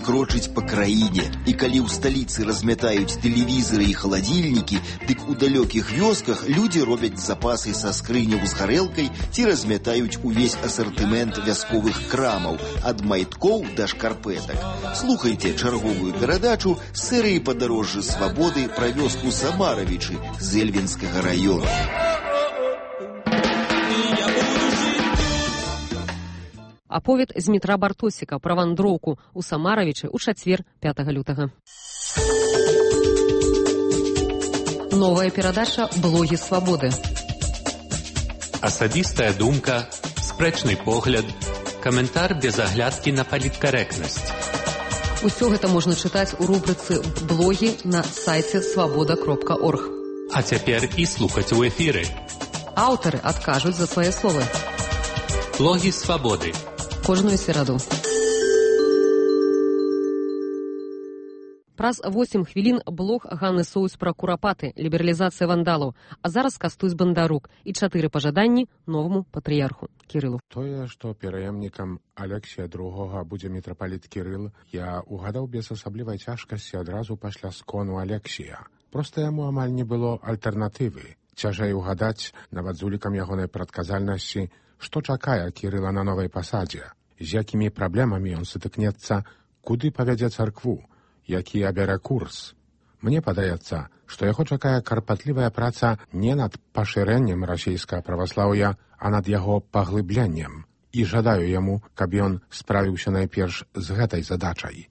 крочыць па краіне. І калі ў сталіцы размятаюць тэлевізоры і халадзільнікі, дык у далёкіх вёсках людзі робяць запасы са скрыняў з гарэлкай ці размятаюць увесь асартымент вясковых крамаў, ад майткоў да шкарпэтак. Слухайце чарговую перадачу з серыі «Падарожжы свабоды» пра вёску Самаравічы з Эльвінскага раёну. Аповед з Дмітра Бартосіка пра вандроўку ў Самаравічы ў чацвер 5 лютага. Новая перадача «Блогі свабоды». Асабістая думка, спрэчны погляд, каментар без аглядкі на паліткарэктнасць. Усё гэта можна чытаць у рубрыцы «Блогі» на сайце свабода.орг. А цяпер і слухаць у эфіры. Аўтары адкажуць за свае словы. Блогі свабоды. Кожную сераду. Праз 8 хвілін блог Ганны Соус пра курапаты, лібералізацыя вандалаў, а зараз Кастусь Бандарук і 4 пажаданні новаму патрыярху Кірылу. Тое, што пераемнікам Алексія II будзе мітрапаліт Кірыл, я угадаў без асаблівай цяжкасці адразу пасля скону Алексія. Проста яму амаль не было альтэрнатывы. Цяжэй угадаць, нават з улікам ягонай прадказальнасці, што чакае Кірыла на новай пасадзе, з якімі праблемамі ён сутыкнецца, куды павядзе царкву, які абярэ курс. Мне падаецца, што яго чакае карпатлівая праца не над пашырэннем расійскага праваслаўя, а над яго паглыбленнем. І жадаю яму, каб ён справіўся найперш з гэтай задачай.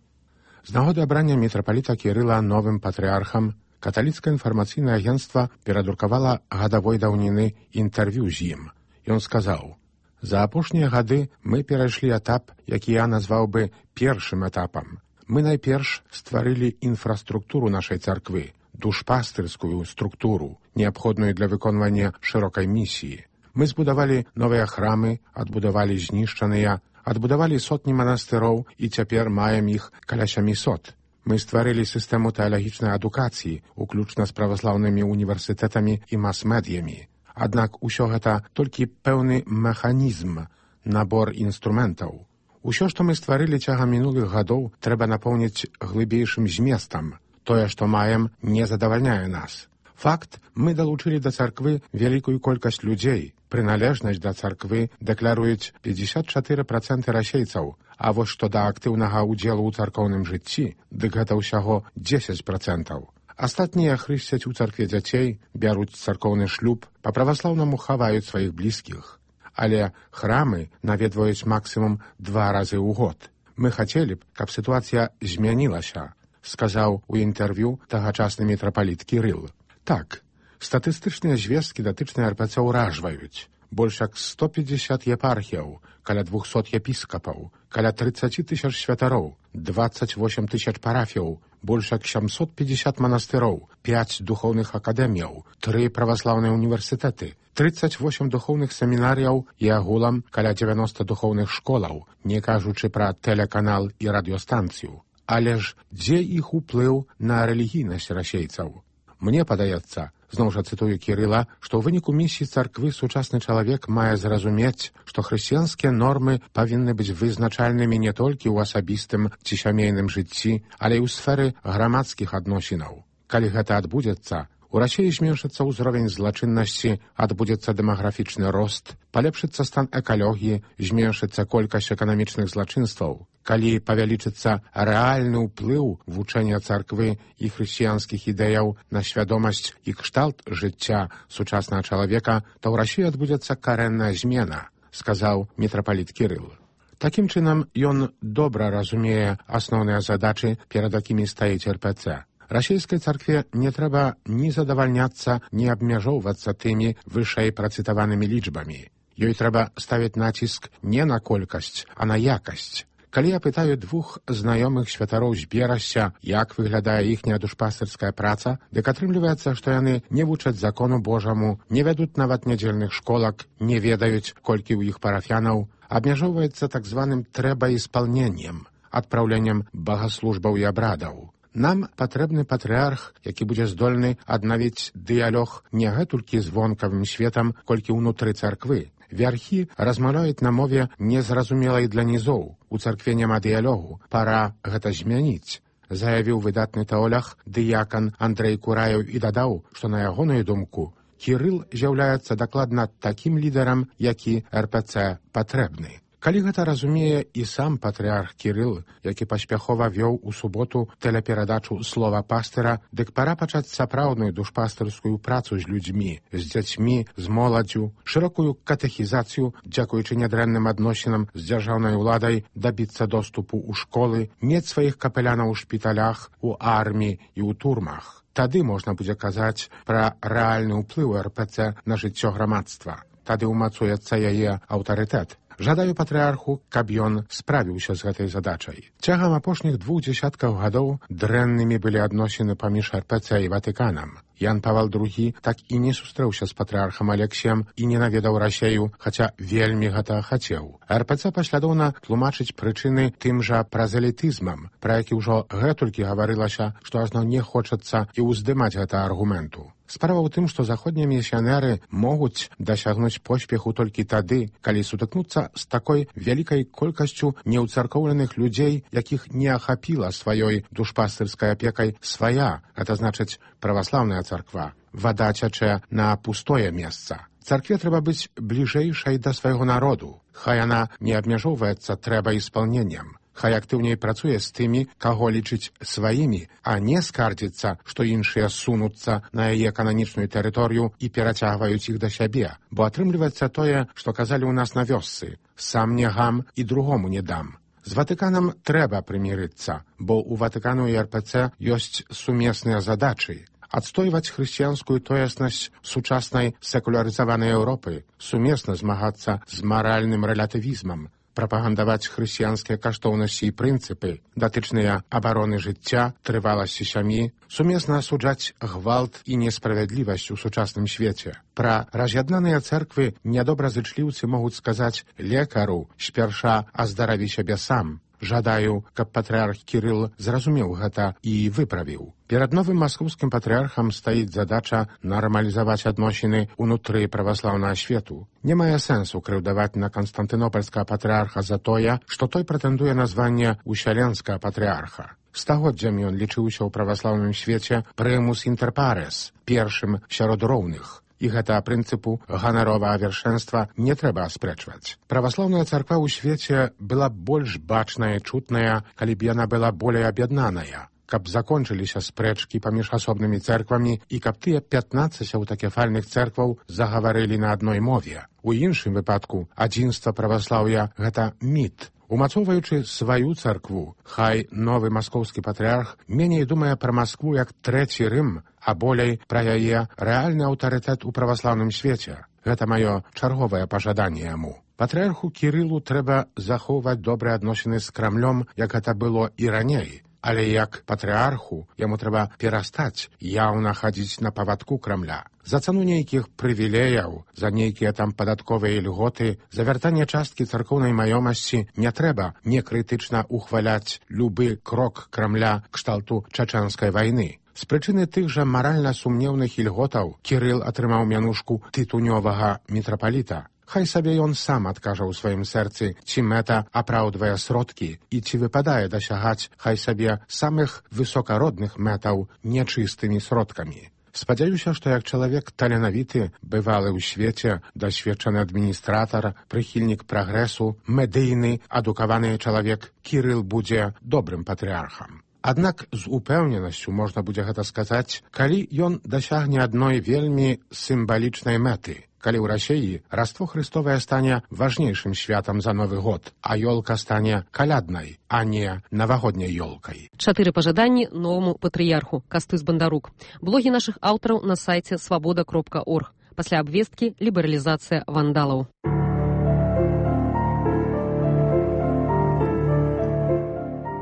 З нагоды абрання мітрапаліта Кірыла новым патрыархам каталіцкае інфармацыйнае агенцтва перадрукавала гадавой даўніны інтэрв'ю з ім. Ён сказаў: «За апошнія гады мы перайшлі этап, які я назваў бы першым этапам. Мы найперш стварылі інфраструктуру нашай царквы, душпастырскую структуру, неабходную для выконвання шырокай місіі. Мы збудавалі новыя храмы, адбудавалі знішчаныя, адбудавалі сотні манастыроў і цяпер маем іх каля 700. Мы стварылі сістэму тэалагічнай адукацыі, уключна з праваслаўнымі універсітэтамі і мас-медыямі. Аднак усё гэта толькі пэўны механізм, набор інструментаў. Усё, што мы стварылі цягам мінулых гадоў, трэба напоўніць глыбейшым зместам. Тое, што маем, не задавальняе нас. Факт, мы далучылі да царквы вялікую колькасць людзей. Прыналежнасць да царквы дэкляруюць 54% расейцаў, а вось што да актыўнага ўдзелу ў царкоўным жыцці, дык гэта ўсяго 10%. Астатнія хрысцяць у царкве дзяцей, бяруць царкоўны шлюб, па-праваслаўнаму хаваюць сваіх блізкіх. Але храмы наведваюць максімум 2 разы ў год. Мы хацелі б, каб сітуацыя змянілася, сказаў у інтэрв'ю тагачасны мітрапаліт Кірыл. Так, статыстычныя звесткі датычныя РПЦ ўражваюць. Больш як 150 епархіяў, каля 200 епіскапаў, каля 30 000 святароў, 28 000 парафіяў, больш як 750 манастыроў, 5 духоўных акадэміяў, 3 праваслаўныя універсітэты, 38 духоўных семінарыяў і агулам каля 90 духоўных школаў, не кажучы пра тэлеканал і радыёстанцыю. Але ж дзе іх уплыў на рэлігійнасць расейцаў? Мне падаецца, зноў жа цытую Кірыла, што ў выніку місіі царквы сучасны чалавек мае зразумець, што хрысціянскія нормы павінны быць вызначальнымі не толькі ў асабістым ці сямейным жыцці, але і ў сферы грамадскіх адносінаў. Калі гэта адбудзецца, у Расіі зменшыцца ўзровень злачыннасці, адбудзецца дэмаграфічны рост, палепшыцца стан экалогіі, зменшыцца колькасць эканамічных злачынстваў. Калі павялічыцца рэальны ўплыў вучэння царквы і хрысціянскіх ідэяў на свядомасць і кшталт жыцця сучаснага чалавека, то ў Расіі адбудзецца карэнная змена, сказаў мітрапаліт Кірыл. Такім чынам, ён добра разумее асноўныя задачы, перад якімі стаіць РПЦ. Расійскай царкве не трэба ні задавальняцца, ні абмяжоўвацца тымі вышэй працытаванымі лічбамі. Ёй трэба ставіць націск не на колькасць, а на якасць. Калі я пытаю 2 знаёмых святароў з Берасця, як выглядае іхняя душпастырская праца, дык атрымліваецца, што яны не вучаць закону Божаму, не вядуць нават нядзельных школак, не ведаюць, колькі ў іх парафянаў, абмяжоўваецца так званым трэба-іспалненнем, адпраўленнем багаслужбаў і абрадаў. Нам патрэбны патрыарх, які будзе здольны аднавіць дыялог не гэтулькі з вонкавым светам, колькі ўнутры царквы, Вярхі размаўляюць на мове незразумелай для нізоў. У царкве няма дыялогу. Пара гэта змяніць, заявіў выдатны тэолог дыякан Андрэй Кураеў і дадаў, што на ягоную думку Кірыл з'яўляецца дакладна такім лідарам, які РПЦ патрэбны. Калі гэта разумее і сам патрыарх Кірыл, які паспяхова вёў у суботу тэлеперадачу «Слова пастыра», дык пара пачаць сапраўдную душпастырскую працу з людзьмі, з дзяцьмі, з моладдзю, шырокую катэхізацыю, дзякуючы нядрэнным адносінам з дзяржаўнай уладай, дабіцца доступу ў школы, мець сваіх капелянаў у шпіталях, у арміі і ў турмах. Тады можна будзе казаць пра рэальны ўплыў РПЦ на жыццё грамадства. Тады ўмацуецца яе аўтарытэт. Жадаю патрыарху, каб ён справіўся з гэтай задачай. Цягам апошніх 2 дзесяткаў гадоў дрэннымі былі адносіны паміж РПЦ і Ватыканам. Ян Павел II так і не сустрэўся з патрыархам Алексіем і не наведаў Расею, хаця вельмі гэта хацеў. РПЦ паслядоўна тлумачыць прычыны тым жа празелітызмам, пра які ўжо гэтулькі гаварылася, што ажно не хочацца і ўздымаць гэта аргументу. Справа ў тым, што заходнія місіянеры могуць дасягнуць поспеху толькі тады, калі сутыкнуцца з такой вялікай колькасцю неўцаркоўленых людзей, якіх не ахапіла сваёй душпастырскай апекай свая, гэта значыць праваслаўная царква. Вада цячэ на пустое месца. Царкве трэба быць бліжэйшай да свайго народу. Хай яна не абмяжоўваецца трэбаіспалненнем. Хай актыўней працуе з тымі, каго лічыць сваімі, а не скардзіцца, што іншыя сунуцца на яе кананічную тэрыторыю і перацягваюць іх да сябе. Бо атрымліваецца тое, што казалі ў нас на вёсцы: «Сам не гам і другому не дам». З Ватыканам трэба прымірыцца, бо ў Ватыкану і РПЦ ёсць сумесныя задачы. Адстойваць хрысціянскую тоеснасць сучаснай секулярызаванай Еўропы, сумесна змагацца з маральным рэлятывізмам, прапагандаваць хрысціянскія каштоўнасці і прынцыпы, датычныя абароны жыцця, трываласці сям'і, сумесна асуджаць гвалт і несправядлівасць у сучасным свеце. Пра раз'яднаныя цэрквы нядобразычліўцы могуць сказаць лекару: «Спярша аздараві сябе сам». Жадаю, каб патрыарх Кірыл зразумеў гэта і выправіў. Перад новым маскоўскім патрыархам стаіць задача нармалізаваць адносіны ўнутры праваслаўнага свету. Не мае сэнсу крыўдаваць на канстантынопальскага патрыарха за тое, што той прэтэндуе на званне усяленскага патрыарха. Стагоддзямі ён лічыўся ў праваслаўным свеце прымус інтер парес, першым сярод роўных. І гэта прынцыпу ганаровага вершэнства не трэба аспрэчваць. Праваслаўная царква ў свеце была больш бачная і чутная, калі б яна была болей аб'яднаная, каб закончыліся спрэчкі паміж асобнымі цэрквамі і каб тыя 15 аўтакефальных цэркваў загаварылі на адной мове. У іншым выпадку адзінства праваслаўя — гэта міт. Умацоўваючы сваю царкву, хай новы маскоўскі патрыарх меней думае пра Маскву як трэці Рым, а болей пра яе рэальны аўтарытэт у праваслаўным свеце. Гэта маё чарговае пажаданне яму. Патрыарху Кірылу трэба захоўваць добрыя адносіны з Крамлём, як гэта было і раней. Але як патрыарху яму трэба перастаць яўна хадзіць на павадку Крамля. За цану нейкіх прывілеяў, за нейкія там падатковыя льготы, за вяртанне часткі царкоўнай маёмасці не трэба некрытычна ухваляць любы крок Крамля кшталту чачэнскай вайны. З прычыны тых жа маральна сумнеўных ільготаў Кірыл атрымаў мянушку тытунёвага мітрапаліта. Хай сабе ён сам адкажа ў сваім сэрцы, ці мэта апраўдвае сродкі і ці выпадае дасягаць хай сабе самых высокародных мэтаў нячыстымі сродкамі. Спадзяюся, што як чалавек таленавіты, бывалы ў свеце, дасведчаны адміністратар, прыхільнік прагрэсу, медыйны, адукаваны чалавек, Кірыл будзе добрым патрыархам. Аднак з упэўненасцю можна будзе гэта сказаць, калі ён дасягне адной вельмі сімвалічнай мэты. Калі ў Расеі Раство Хрыстовае стане важнейшым святам за Новы год, а ёлка стане каляднай, а не навагодняй ёлкай. 4 пажаданні новаму патрыярху. Кастусь Бандарук. Блогі нашых аўтараў на сайце свабода.орг. Пасля абвесткі лібералізацыя вандалаў.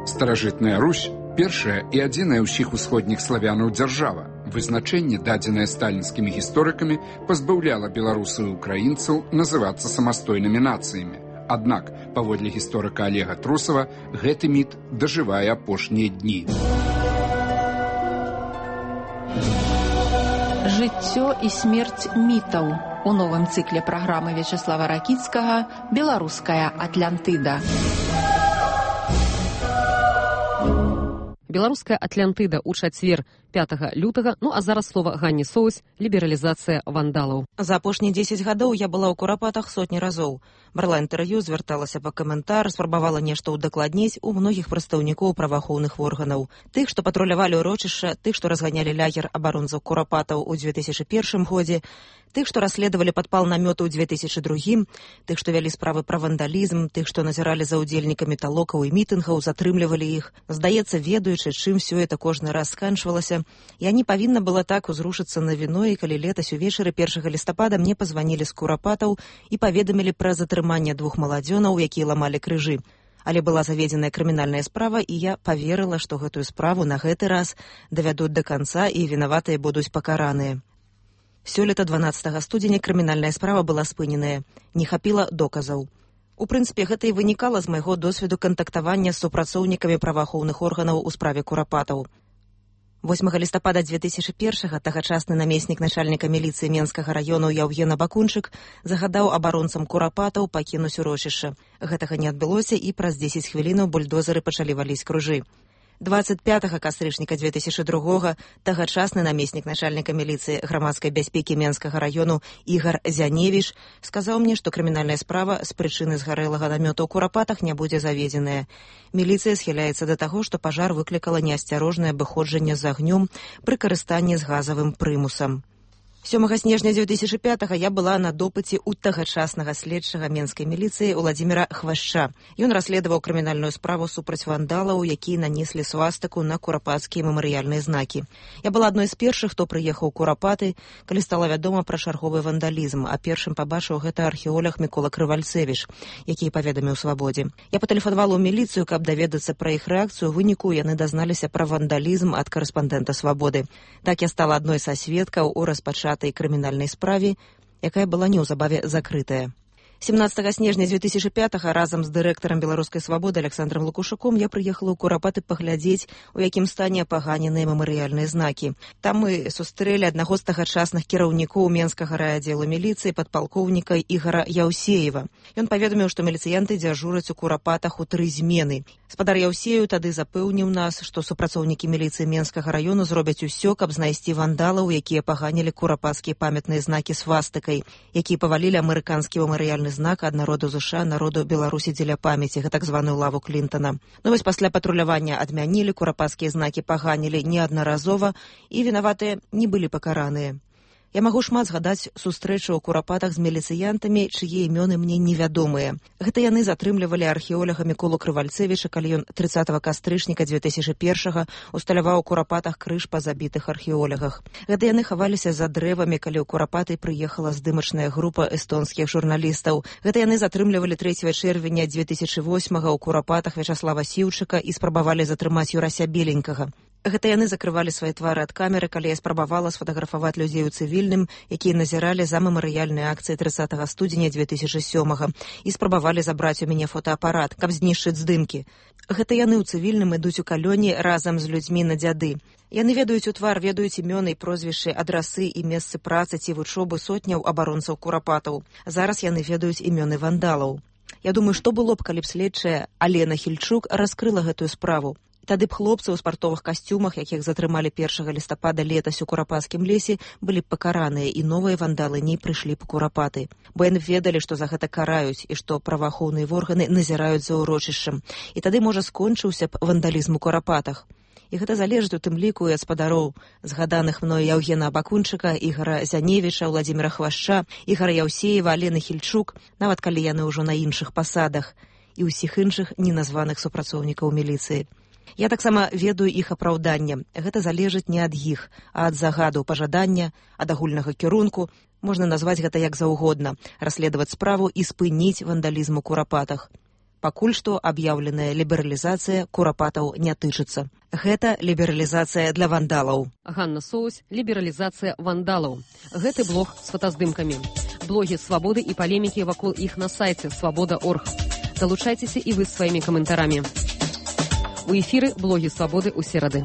Старажытная Русь – першая і адзіная ўсіх усходніх славянаў дзяржава. Вызначэнне, дадзенае сталінскімі гісторыкамі, пазбаўляла беларусаў і украінцаў называцца самастойнымі нацыямі. Аднак, паводле гісторыка Олега Трусава, гэты міт дажывае апошнія дні. Жыццё і смерць мітаў. У новым цыкле праграмы Вячеслава Ракіцкага «Беларуская Атлантыда». Беларуская Атлантыда ў чацвер 5 лютага. Ну а зараз слова Ганне Соус, лібералізацыя вандалаў. За апошнія 10 гадоў я была ў Курапатах сотні разоў. Брала інтэрв'ю, звярталася па каментар, спрабавала нешта ўдакладніць у многіх прадстаўнікоў праваахоўных органаў. Тых, што патрулявалі ўрочышча, тых, што разганялі лагер абаронцаў Курапатаў у 2001 годзе, тых, што расследавалі падпал намёту ў 2002, тых, што вялі справы пра вандалізм, тых, што назіралі за ўдзельнікамі талокаў і мітынгаў, затрымлівалі іх. Здаецца, ведаючы, чым всё это кожны раз сканчвалася, я не павінна была так узрушыцца на віно, і калі летась увечары 1 лістапада мне пазванілі з Курапатаў і паведамілі пра затрыманне 2 маладзёнаў, якія ламалі крыжы. Але была заведзеная крымінальная справа, і я паверыла, што гэтую справу на гэты раз давядуць да канца і вінаватыя будуць пакараныя. Сёлета 12 студзеня крымінальная справа была спыненая. Не хапіла доказаў. У прынцыпе, гэта і вынікала з майго досведу кантактавання з супрацоўнікамі праваахоўных органаў у справе Курапатаў. 8 лістапада 2001 тагачасны намеснік начальніка міліцыі Менскага раёну Яўген Абакунчык загадаў абаронцам Курапатаў пакінуць урочышча. Гэтага не адбылося, і праз 10 хвілінаў бульдозеры пачалі валіць кружы. 25 кастрычніка 2002 тагачасны намеснік начальніка міліцыі грамадскай бяспекі Менскага раёну Ігар Зяневіч сказаў мне, што крымінальная справа з прычыны згарэлага намёта ў Курапатах не будзе заведзеная. Міліцыя схіляецца да таго, што пажар выклікала неасцярожнае абыходжанне з агнём пры карыстанні з газавым прымусам. 7 снежня 2005 я была на допыце ў тагачаснага следчага менскай міліцыі Уладзіміра Хвашча. Ён расследаваў крымінальную справу супраць вандалаў, якія нанеслі свастыку на курапацкія мемарыяльныя знакі. Я была адной з першых, хто прыехаў у Курапаты, калі стала вядома пра чарговы вандалізм, а першым пабачыў гэта археолог Мікола Крывальцэвіч, які паведаміў Свабодзе. Я патэлефанавала ў міліцыю, каб даведацца пра іх рэакцыю, у выніку яны дазналіся пра вандалізм ад карэспандэнта Свабоды. Так я стала адной са сведкаў у распачатку крымінальнай справе, якая была неўзабаве закрытая. 17 снежня 2005 разам з дырэктарам Беларускай свабоды Александром Лукушуком я прыехала ў Курапаты паглядзець, у якім стане апаганеныя мемарыяльныя знакі. Там мы сустрэлі аднаго з тагачасных кіраўнікоў Менскага райаддзелу міліцыі падпалкоўніка Ігара Яўсеева. Ён паведаміў, што міліцыянты дзяжураць у Курапатах у 3 змены. Спадар Яўсею тады запэўніў нас, што супрацоўнікі міліцыі Менскага раёну зробяць усё, каб знайсці вандалаў, якія паганілі курапацкія памятныя знакі свастыкай, якія павалілі амерыканскі мемарыяльны знак ад народу ЗША, народу Беларусі дзеля памяці, гэта так званую лаву Клінтона. Ну вось пасля патрулявання адмянілі, курапацкія знакі паганілі неаднаразова, і вінаватыя не былі пакараныя. Я магу шмат згадаць сустрэчу ў Курапатах з міліцыянтамі, чые імёны мне невядомыя. Гэта яны затрымлівалі археолага Міколу Крывальцэвіча, калі ён 30 кастрычніка 2001 усталяваў у Курапатах крыж па забітых археолягах. Гэта яны хаваліся за дрэвамі, калі ў Курапаты прыехала здымачная група эстонскіх журналістаў. Гэта яны затрымлівалі 3 чэрвеня 2008 ў Курапатах Вячаслава Сіўчыка і спрабавалі затрымаць Юрася Беленькага. Гэта яны закрывалі свае твары ад камеры, калі я спрабавала сфотаграфаваць людзей у цывільным, якія назіралі за мемарыяльнай акцыі 30 студзеня 2007 і спрабавалі забраць у мяне фотоапарат, каб знішчыць здымкі. Гэта яны ў цывільным ідуць у калёне разам з людзьмі на дзяды. Яны ведаюць у твар, ведаюць імёны і прозвішчы, адрасы і месцы працы ці вучобы сотняў абаронцаў Курапатаў. Зараз яны ведаюць імёны вандалаў. Я думаю, што было б, калі б следчая Алена Хільчук раскрыла гэтую справу. Тады б хлопцы ў спартовых касцюмах, якіх затрымалі 1 лістапада летась у Курапацкім лесе, былі б пакараныя, і новыя вандалы не прыйшлі па Курапаты. Бо яны ведалі, што за гэта караюць, і што праваахоўныя органы назіраюць за ўрочышчам. І тады, можа, скончыўся б вандалізм у Курапатах. І гэта залежыць у тым ліку і ад спадароў згаданых мною Яўгена Абакунчыка, Ігара Зяневіча, Уладзіміра Хвашча, Ігара Яўсеева, Алены Хільчук, нават калі яны ўжо на іншых пасадах, і ўсіх іншых неназваных супрацоўнікаў міліцыі. Я таксама ведаю іх апраўданне. Гэта залежыць не ад іх, а ад загаду, пажадання, ад агульнага кірунку. Можна назваць гэта як заўгодна, расследаваць справу і спыніць вандалізм у Курапатах. Пакуль што аб'яўленая лібералізацыя Курапатаў не тычыцца. Гэта лібералізацыя для вандалаў. Ганна Соус, лібералізацыя вандалаў. Гэты блог з фотаздымкамі. Блогі свабоды і палемікі вакол іх на сайце свабода.орг. Далучайцеся і вы сваімі каментарамі. У эфіры блогі свабоды ў серады.